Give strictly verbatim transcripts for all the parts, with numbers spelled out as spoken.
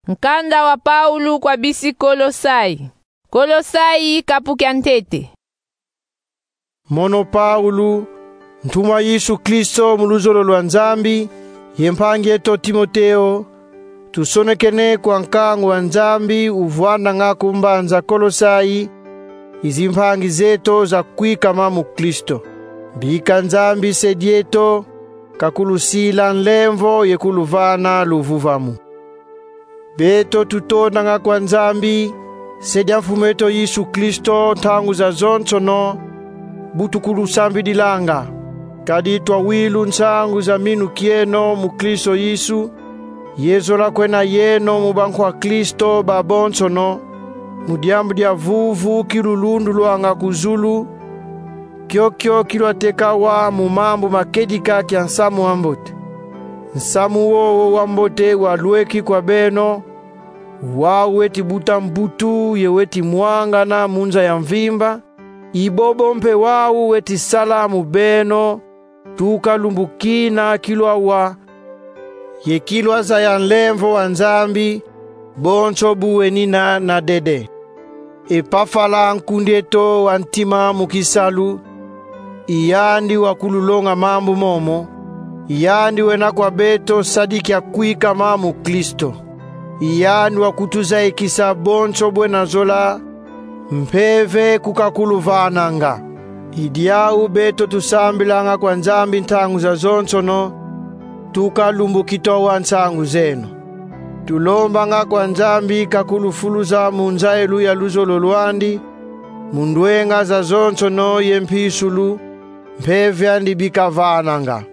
Nkanda wa Paulo kwa bisi Kolosai. Kolosai, kapu kia ntete. Mono Paulo, ntumwa Yesu Kristo mu luzolo lwa Nzambi, ye mpangi eto Timoteo, tusonekene kwa nkangu wa Nzambi uvwandanga ku mbanza Kolosai, i zimpangi zeto zakwikama mu Kristo. Bika Nzambi Se dieto kakulusila nlemvo ye kuluvana luvuvamu. Beto tutondanga kwa Nzambi, Se dia Mfumu eto Yesu Kristo, ntangu zazonsono bu tukulusambidilanga. Kadi twawilu nsangu za minu kieno mu Kristo Yesu, ye zola kwena yeno mu bankwa Kristo babonsono, mu diambu dia vuvu kilulundulwanga ku zulu, kiokio kilwateka awa mu mambu ma kedika kia nsamu wa mbote. Nsamu wowo wa mbote walweki kwa beno, wau weti buta mbutu ye weti mwangana mu nza ya mvimba, i bobo mpe wau weti sala mu beno tuka lumbu kina kilwawa, ye kilwazaya nlemvo wa Nzambi, bonso bu wenina na dede. Epafala, nkundi eto wa ntima mu kisalu, i yandi wakululonga mambu momo, i yandi wena kwa beto sadi kia kwikama mu Kristo. I yandi wakutuzayikisa bonso bwena zola, mpeve ku kakuluvananga. I diau beto tusambilanga kwa Nzambi ntangu zazonsono, tuka lumbu kitwawa nsangu zeno. Tulombanga kwa Nzambi kakulufuluza mu nzayilu ya luzolo lwandi, mu ndwenga zazonsono ye mpisulu, mpeve andi bi kavananga.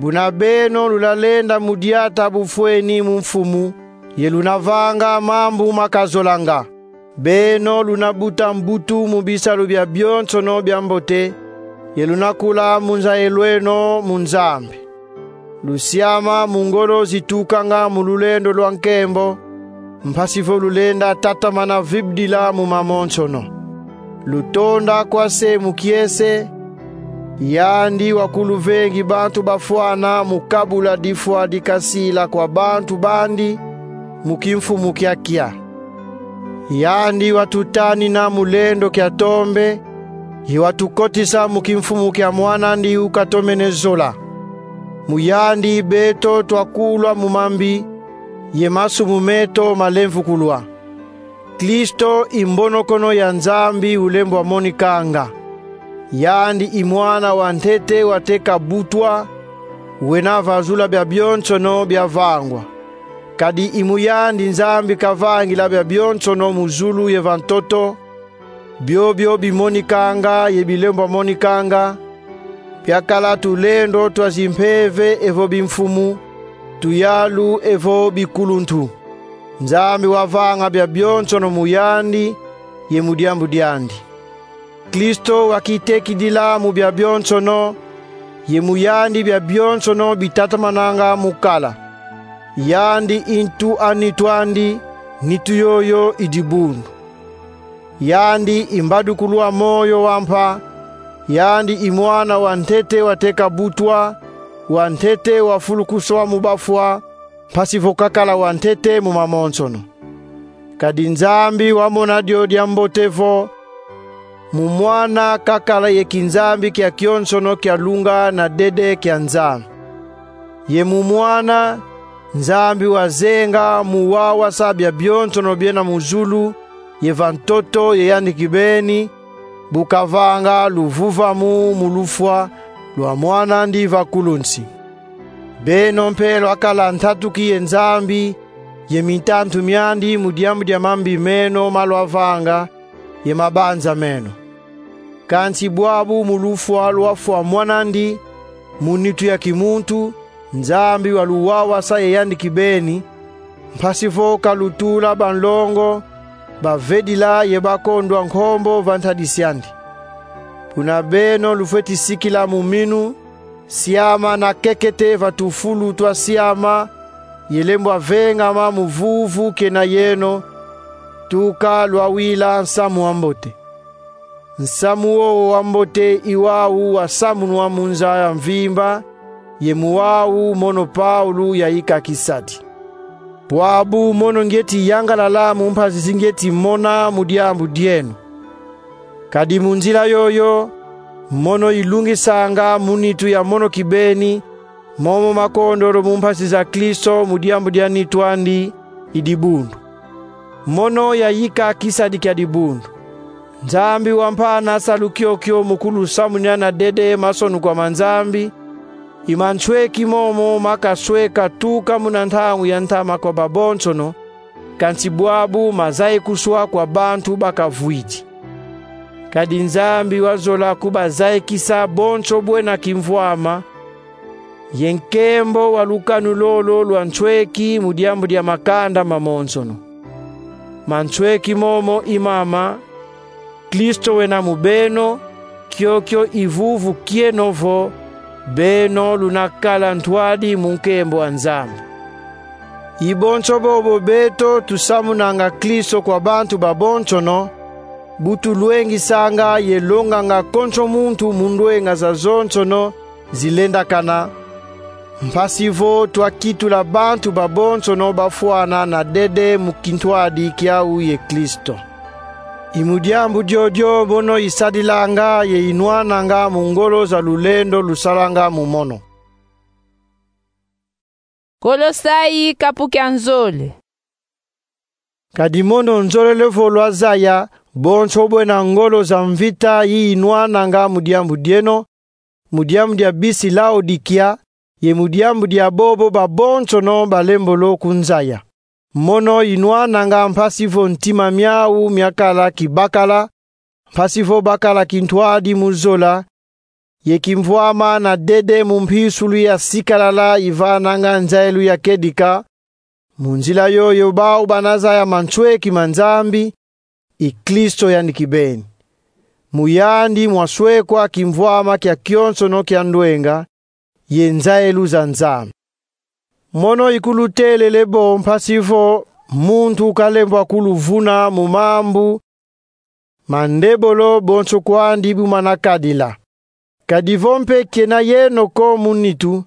Buna beno lulenda mu diata bufweni mu Mfumu, ye luna vanga mambu ma kazolanga. Beno luna buta mbutu mu bisalu biabionsono bia mbote, ye luna kula mu nzayilu eno mu Nzambi. Lusiama mu ngolo zitukanga mu lulendo lwa nkembo, mpasi vo lulenda tatamana vibidila mu mamonsono. Lutonda kwa Se mu kiese, yandi wakuluvengi bantu bafwana mu kabula difwa dikasila kwa bantu bandi mu kimfumu kiakia. Yandi watutanina mu lendo kia tombe, ye watukotisa mu kimfumu kia Mwan'andi ukatomene zola. Mu yandi beto twakulwa mu mambi, ye masumu meto malemvukulwa. Kristo i mbonokono ya Nzambi ulembwa monikanga. Yandi i mwana wa ntete wateka butwa, wena vazula biabionsono biavangwa. Kadi i mu yandi Nzambi kavangila biabionsono mu zulu ye va ntoto, biobio bimonikanga ye bilembwa monikanga, biakala tulendo twa zimpeve evo bimfumu, tuyalu evo bikuluntu. Nzambi wavanga biabionsono mu yandi ye mu diambu diandi. Kristo wakitekidila mu biabionsono, ye mu yandi biabionsono bitatamananga mu kala. Yandi i ntu a nitu andi, nitu yoyo i dibundu. Yandi i mbadukulu a moyo wa mpa, yandi i mwana wa ntete wateka butwa, wa ntete wafulukuswa mu bafwa, mpasi vo kakala wa ntete mu mamonsono. Kadi Nzambi wamona dio diambote vo mu Mwana kakala ye kinzambi kiakionsono kia lunga na dede kia Nzambi. Ye mu Mwana, Nzambi wazenga mu wawasa biabionsono biena mu zulu ye va ntoto ye yandi kibeni, bu kavanga luvuvamu mu lufwa lwa Mwan'andi va kulunsi. Beno mpe lwakala ntatu ki ye Nzambi ye mintantu miandi mu diambu dia mambi meno ma lwavanga ye mabanza meno. Kansi bwabu mu lufwa lwafwa Mwan'andi, mu nitu ya kimuntu, Nzambi waluwawasa ye yandi kibeni, mpasi vo kalutula banlongo, bavedila ye bakondwa nkombo va ntadisi andi. Buna beno lufweti sikila mu minu, siama na kekete va tufulu twa siama, ye lembwa vengama mu vuvu kena yeno, tuka lwawila nsamu wa mbote. Nsamu wowo wa mbote i wau wasamunwa mu nza ya mvimba, ye mu wau mono Paulo yayika kisadi. Bwabu mono ngieti yangalala mu mpasi zi ngieti mona mu diambu dieno. Kadi mu nzila yoyo, mono ilungisanga mu nitu ya mono kibeni, momo makondolo mu mpasi za Kristo mu diambu dia nitu andi, i dibundu. Mono yayika kisadi kia dibundu. Nzambi wampana salu kiokio mu kulusamunina na dede masonukwa ma Nzambi, i mansweki momo makasweka tuka muna ntangu ya ntama kwa babonsono, kansi bwabu mazayikiswa kwa bantu bakavwidi. Kadi Nzambi wazola kubazayikisa bonso bwena kimvwama, ye nkembo wa lukanu lolo lwa nsweki mu diambu dia makanda mamonsono. Mansweki momo i mama: Kristo wena mu beno, kiokio i vuvu kieno vo beno luna kala ntwadi mu nkembo a Nzambi. I bonso bobo beto tusamunanga Kristo kwa bantu babonsono, bu tulwengisanga ye longanga konso muntu mu ndwenga zazonsono zilendakana, mpasi vo twakitula bantu babonsono bafwana na dede mu kintwadi kiau ye Kristo. I mu diambu diodio mono isadilanga ye inwananga mu ngolo za lulendo lusalanga mu mono. Kolosai kapu kia nzole. Kadi mono nzolele vo lwazaya bonso bwena ngolo za mvita yi inwananga mu diambu dieno, mu diambu dia bisi Laodikia, ye mu diambu dia bobo babonsono balembolo kunzaya. Mono inwananga mpasi vo ntima miau miakala kibakala, mpasi vo bakala kintwadi mu zola, ye kimvwama na dede mu mpisulu ya sikalala ivananga nzailu ya kedika, mu nzila yoyo bau banazaya mansweki ma Nzambi, i Kristo yandi kibeni. Mu yandi mwaswekwa kimvwama kia kionsono kia ndwenga ye nzailu za Nzambi. Mono ikulutelele bo mpasi vo muntu kalembwa kuluvuna mu mambu ma ndebolo bonso kwandi bu manakadila. Kadi vo mpe kena yeno ko mu nitu,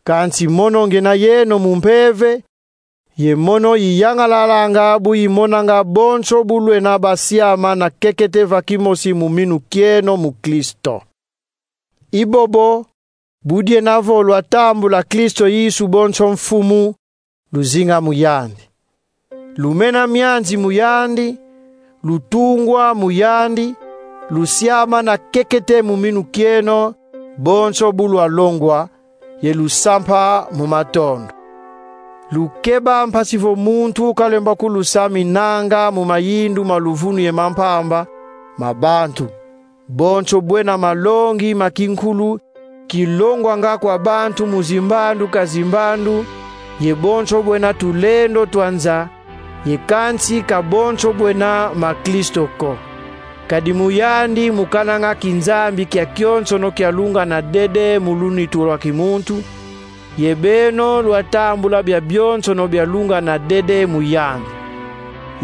kansi mono ngena yeno mu mpeve, ye mono iyangalalanga bu imonanga bonso bu lwena basiama na kekete va kimosi mu minu kieno mu Kristo. I bobo, bu diena vo lwatambula Kristo Yesu bonso Mfumu, luzinga mu yandi. Lumena mianzi mu yandi, lutungwa mu yandi, lusiama na kekete mu minu kieno bonso bu lwalongwa, ye lusampa mu matondo. Lukeba mpasi vo muntu kalembwa kulusaminanga mu mayindu ma luvunu ye ma mpamba ma bantu. Bonso bwena malongi ma kinkulu kilongwanga kwa bantu mu zimbandu ka zimbandu, ye bonso bwena tulendo twa nza, ye kansi ka bonso bwena ma Kristo ko. Kadi mu yandi mukananga kinzambi kia kionsono kialunga na dede mu lunitu lwa kimuntu, ye beno lwatambula biabionsono bialunga na dede mu yandi.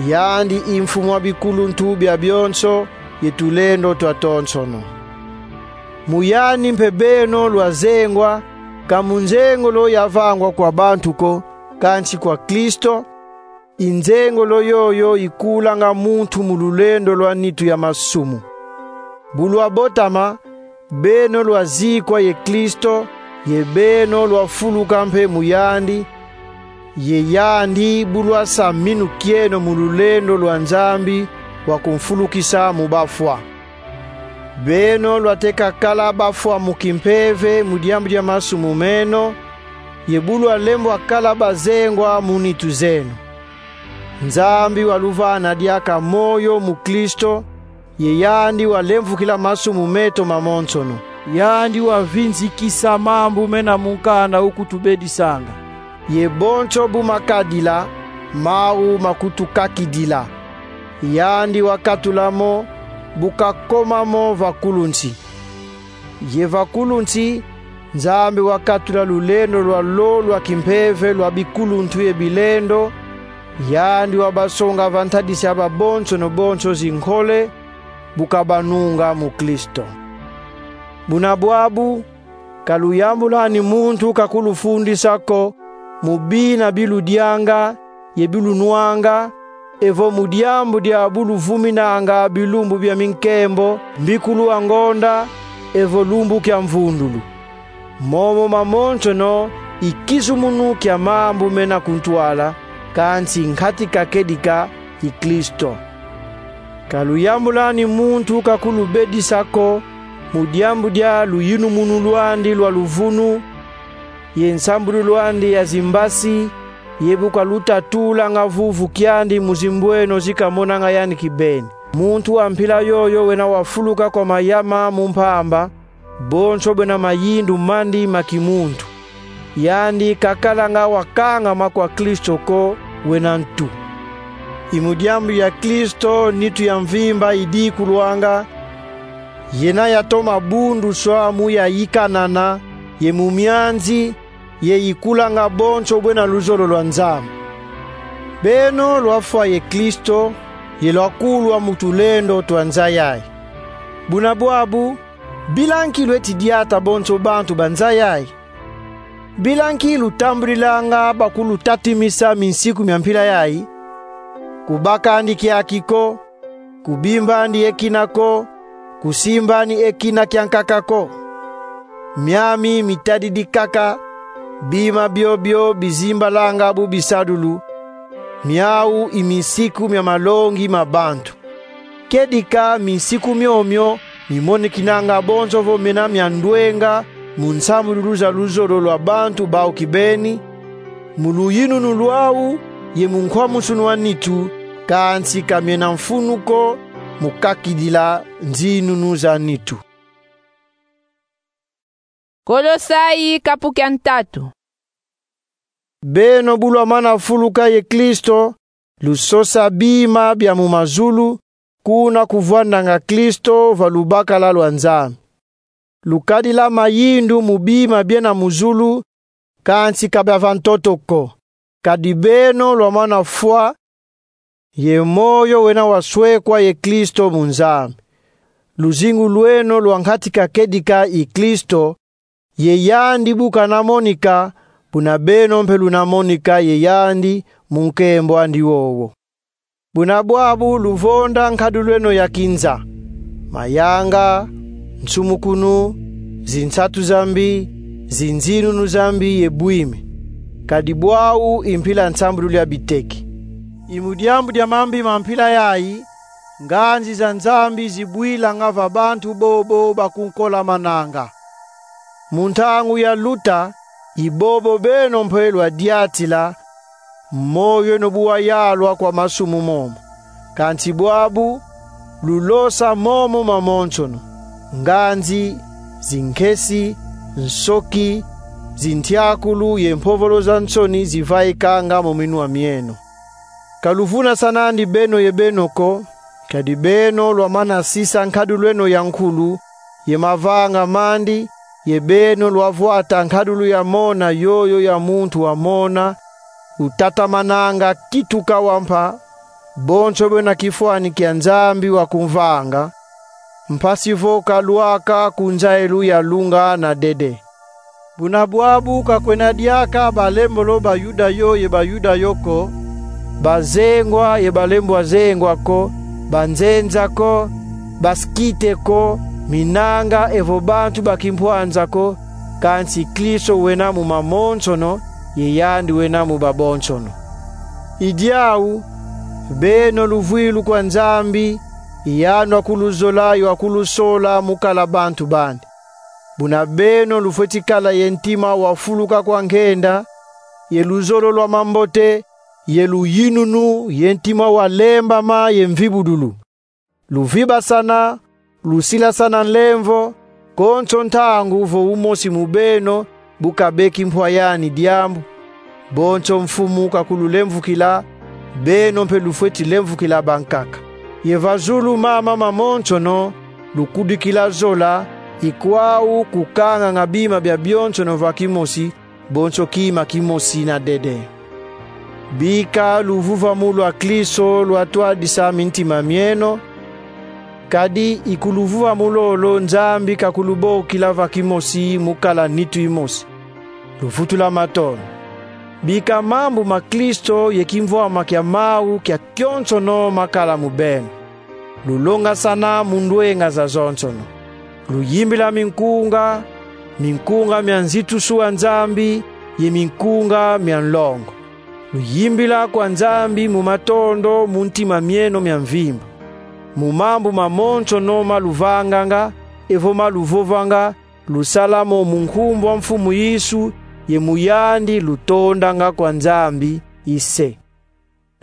Yandi i Mfumu a bikuluntu biabionso ye tulendo twatonsono. Mu yandi mpe beno lwazengwa, ka mu nzengolo yavangwa kwa bantu ko, kansi kwa Kristo, i nzengolo yoyo ikulanga muntu mu lulendo lwa nitu ya masumu. Bu lwabotama, beno lwazikwa ye Kristo, ye beno lwafuluka mpe mu yandi, ye yandi bu lwasa minu kieno mu lulendo lwa Nzambi wa kumfulukisa mu bafwa. Beno lwateka kala bafwa mu kimpeve mu diambu dia masumu meno, ye bu lwalembwa kala bazengwa mu nitu zeno. Nzambi waluvana diaka moyo mu Kristo, ye yandi walemvukila masumu meto mamonsono. Yandi wavinzikisa mambu mena munkanda ukutubedisanga. Ye bonso bu makadila, mau makutukakidila. Yandi wakatula mo, bu kakoma mo vakulunsi. Ye vakulunsi, Nzambi wakatula lulendo lwalo lwa kimpeve lwa bikuluntu ye bilendo, yandi wabasonga va ntadisi a babonsono bonso zinkole, bu kabanunga mu Kristo. Buna bwabu, ka luyambulani muntu kakulufundisa ko mu bina bi ludianga, ye bi lunwanga, evo mu diambu dia bu luvuminanga bilumbu bia minkembo, mbikulu a ngonda, evo lumbu kia mvundulu. Momo mamonsono i kizumunu kia mambu mena ku ntwala, kansi nkati ka kedika i Kristo. Ka luyambulani muntu kakulubedisa ko, mu diambu dia luyinumunu lwandi lwa luvunu, ye nsambululu andi ya zimbasi, ye bu kalutatulanga vuvu kiandi mu zimbweno zi kamonanga yandi kibeni. Muntu wa mpila yoyo wena wafuluka kwa mayama mu mpamba, bonso bwena mayindu mandi ma kimuntu. Yandi kakalanga wakangama kwa Kristo ko, wena ntu. I mu diambu dia Kristo nitu ya mvimba idikulwanga, yena yatoma bunduswa mu yayikanana, ye mu mianzi, ye ikulanga bonso bwena luzolo lwa Nzambi. Beno lwafwa ye Kristo, ye lwakulwa mu tulendo twa nza yayi. Buna bwabu, bila nki lweti diata bonso bantu ba nza yayi? Bila nki lutambudilanga bakulutatimisa minsiku mia mpila yayi? Kubakandi kiaki ko, kubimbandi ye kina ko, kusimbandi ye kina kiankaka ko. Miami mitadidi kaka, bima biobio bizimbalanga bu bisadulu, miau i minsiku mia malongi ma bantu. Kedika minsiku miomio mimonekinanga bonso vo mena mia ndwenga mu nsambululu za luzolo lwa bantu bau kibeni, mu luyinunu lwau ye mu nkwamusunu a nitu, kansi ka miena mfunu ko mu kakidila nzinunu za nitu. Kolosai kapu kia ntatu. Beno bu lwamana fuluka ye Kristo, lusosa bima bia mu mazulu, kuna kuvwandanga Kristo va lubakala lwa Nzambi. Lukadila mayindu mu bima biena mu zulu, kansi ka bia va ntoto ko. Kadi beno lwamana fwa, ye moyo wena waswekwa ye Kristo mu Nzambi. Luzingu lweno lwa nkati ka kedika i Kristo, ye yandi bu kana monika, buna beno mpe luna monika ye yandi mu nkembo andi wowo. Buna bwabu luvonda nkadulu eno ya kinza: mayanga, nsumukunu, zinsatu za mbi, zinzinunu za mbi ye bwimi. Kadi bwau i mpila nsambululu ya biteki. I mu diambu dia mambi ma mpila yayi, nganzi za Nzambi zibwilanga va bantu bobo bakunkolamananga. Mu ntangu ya luta, i bobo beno mpe lwadiatila, moyo eno bu wayalwa kwa masumu momo. Kansi bwabu, lulosa momo mamonsono: nganzi, zinkesi, nsoki, zintiakulu ye mpovolo za nsoni zivaikanga mu minwa mieno. Ka luvunasanandi beno ye beno ko, kadi beno lwamana sisa nkadulu eno ya nkulu, ye mavanga mandi, ye beno lwavwata nkadulu ya mona yoyo ya muntu wa mona, utatamananga kituka wa mpa, bonso bwena kifwani kia Nzambi wa kumvanga, mpasi vo kalwaka ku nzayilu ya lunga na dede. Buna bwabu ka kwena diaka balembolo Bayuda yo ye Bayuda yo ko, bazengwa ye balembwa zengwa ko, banzenza ko, baskite ko, minanga evo bantu ba kimpwanza ko, kansi Kristo wena mu mamonsono, ye yandi wena mu babonsono. I diau, beno luvwilu kwa Nzambi, i yandi wakuluzola ye wakulusola mu kala bantu bandi. Buna beno lufweti kala ye ntima wafuluka kwa nkenda, ye luzolo lwa mambote, ye luyinunu, ye ntima walembama, ye mvibudulu. Luvibasana, lusilasana nlemvo, konso ntangu vo umosi mu beno bu kabeki mpwa yani diambu. Bonso Mfumu kakululemvukila, beno mpe lufweti lemvukila bankaka. Ye va zulu mama mamonsono, lukudikila zola, i kwau kukanganga bima bia bionsono va kimosi, bonso kima kimosi na dede. Bika luvuvamu lwa Kristo lwatwadisa mintima mieno, kadi i ku luvuvamu lolo Nzambi kakulubokila va kimosi mu kala nitu imosi. Luvutula matondo. Bika mambu ma Kristo ye kimvwama kia mau kia kionsono makala mu beno. Lulongasana mu ndwenga zazonsono. Luyimbila minkunga, minkunga mia nzitusu wa Nzambi, ye minkunga mia nlongo. Luyimbila kwa Nzambi mu matondo mu ntima mieno mia mvimba. Mu mambu mamonsono ma luvanganga, evo ma luvovanga, lusala mo mu nkumbu a Mfumu Yesu, ye mu yandi lutondanga kwa Nzambi, i se.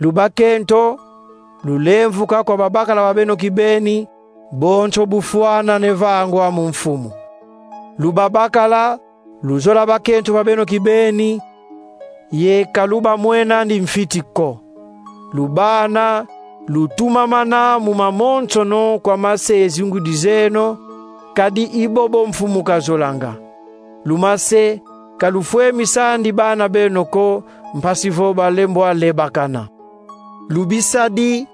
Lubakento, lulemvuka kwa babakala ba beno kibeni, bonso bufwana ne vangwa mu Mfumu. Lubabakala, luzola bakento ba beno kibeni, ye ka lubamwenandi mfiti ko. Lubana, lutumamana mu mamonsono kwa mase ye zingudi zeno, kadi i bobo Mfumu kazolanga. Lumase, ka lufwemisandi bana beno ko, mpasi vo balembwa lebakana. Lubisadi,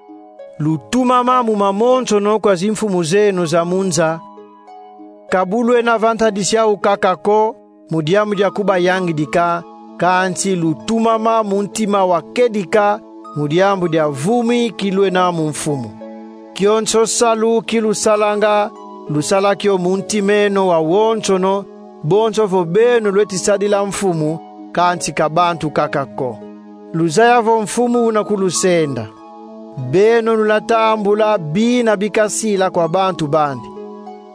lutumama mu mamonsono kwa zimfumu zeno za mu nza, ka bu lwena va ntadisi au kaka ko, mu diambu dia kubayangidika, kansi lutumama mu ntima wa kedika, mu diambu dia vumi ki lwena mu Mfumu. Kionso salu ki lusalanga, lusala kio mu ntima eno wawonsono, bonso vo beno lweti sadila Mfumu, kansi ka bantu kaka ko. Luzaya vo Mfumu una kulusenda. Beno luna tambula bina bikasila kwa bantu bandi.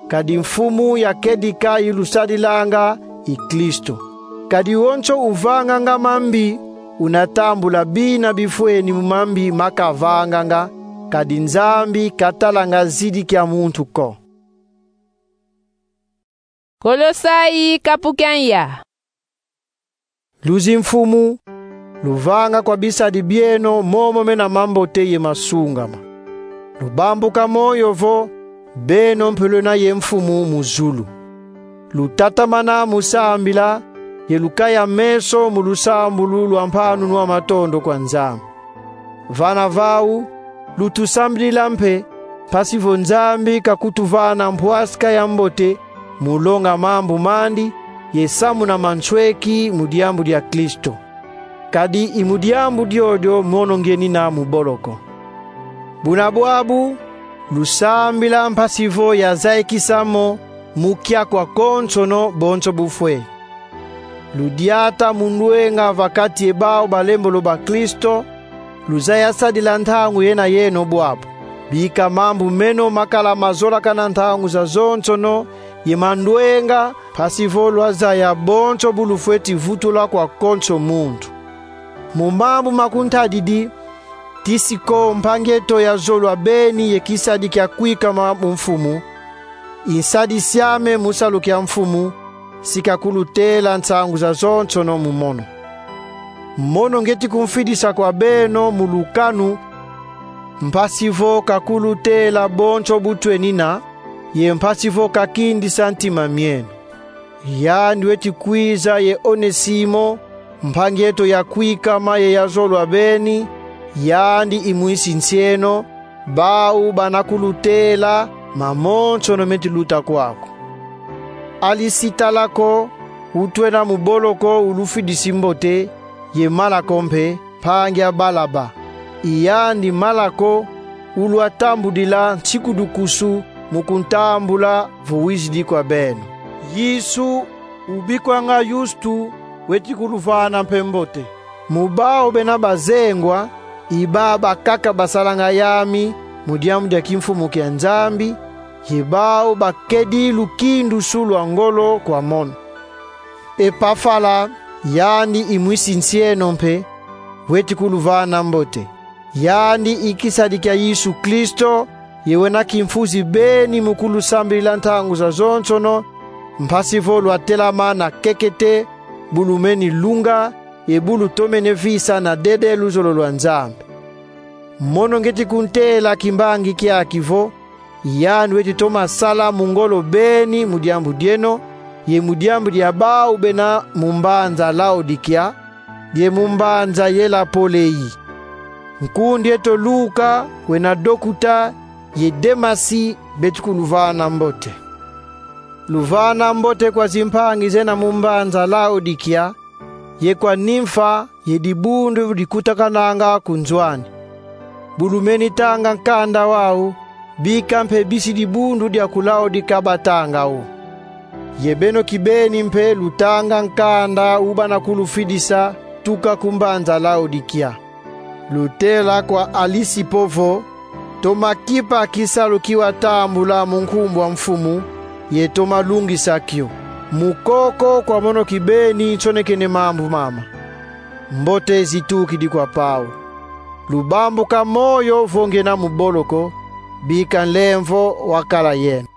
Kadi Mfumu ya kedika i lusadilanga i Kristo. Kadi wonso uvanganga mambi, una tambula bina bifweni mu mambi ma kavanganga, kadi Nzambi ka talanga zidi kia muntu ko. Kolosai kapu kia ya. Luzi Mfumu, luvanga kwa bisadi bieno momo mena mambote ye masungama. Lubambuka moyo vo, beno mpe lwena ye Mfumu mu zulu. Lutatamana mu sambila, ye lukaya meso mu lusambulu lwa mpanunu a matondo kwa Nzambi. Vana vau, lutusambilila mpe, mpasi vo Nzambi kakutuvana mpwasika ya mbote, mu longa mambu mandi, ye samuna mansweki mu diambu dia Kristo. Kadi i mu diambu diodio mono ngienina mu boloko. Buna bwabu, lusambila mpasi vo yazayikisa mo mu kia kwa konsono bonso bufwe. Ludiata mu ndwenga va kati ye bau balembolo ba Kristo, luzaya sadila ntangu yena yeno bwabu. Bika mambu meno makala mazolakana ntangu zazonsono, ye ma ndwenga, mpasi vo lwazaya bonso bu lufweti vutula kwa konso muntu. Mu mambu ma kuntadidi, Tisiko, mpangi eto ya zolwa beni ye kisadi kia kwikama mu Mfumu, i nsadisi ame mu salu kia Mfumu, si kakulutela nsangu zazonsono mu mono. Mono ngieti kumfidisa kwa beno mu lukanu, mpasi vo kakulutela bonso bu twenina, ye mpasi vo kakindisa ntima mieno. Yandi weti kwiza ye Onesimo, mpangi eto ya kwikama ye ya zolwa beni, yandi i mwisi nsi eno, bau bana kulutela mamonsono meti luta kwaku. Alisitalako, utwena mu boloko, ulufidisi mbote, ye Malako mpe, mpangi a Balaba. I yandi Malako ulwatambudila nsiku dukusu mu kuntambula vo wizidi kwa beno. Yesu, ubikwanga Yustu, weti kuluvana mpe mbote. Mu bau bena bazengwa, i baba kaka basalanga yami mu diambu dia kimfumu kia Nzambi, ye bau bakedi lukindusu lwa ngolo kwa mono. Epafala, yandi i mwisi nsi eno mpe, weti kuluvana mbote. Yandi i kisadi kia Yesu Kristo, ye wena kimfuzi beni mu kulusambilila ntangu zazonsono, mpasi vo lwatelama na kekete, bu lumeni lunga, ye bu lutomene visa na dede luzolo lwa Nzambi. Mono ngieti kuntela kimbangi kiaki vo, yandi weti toma sala mu ngolo beni mu diambu dieno, ye mu diambu dia bau bena mu mbanza Laodikia, ye mu mbanza Yelapolei. Nkundi eto Luka, wena dokuta, ye Demasi beti kuluvana mbote. Luvana mbote kwa zimpangi zena mu mbanza Laodikia, ye kwa Nimfa ye dibundu dikutakananga ku nzo ani. Bu lumeni tanga nkanda wau, bika mpe bisi dibundu dia ku Laodika batanga wo. Ye beno kibeni mpe lutanga nkanda u bana kulufidisa tuka ku mbanza Laodikia. Lutela kwa Alisipo vo: Toma kipa kisalu ki watambula mu nkumbu a Mfumu, ye toma lungisa kio. Mu koko kwa mono kibeni nsonekene mambu mama. Mbote zitukidi kwa Paulo. Lubambuka moyo vo ngiena mu boloko, bika nlemvo wakala yeno.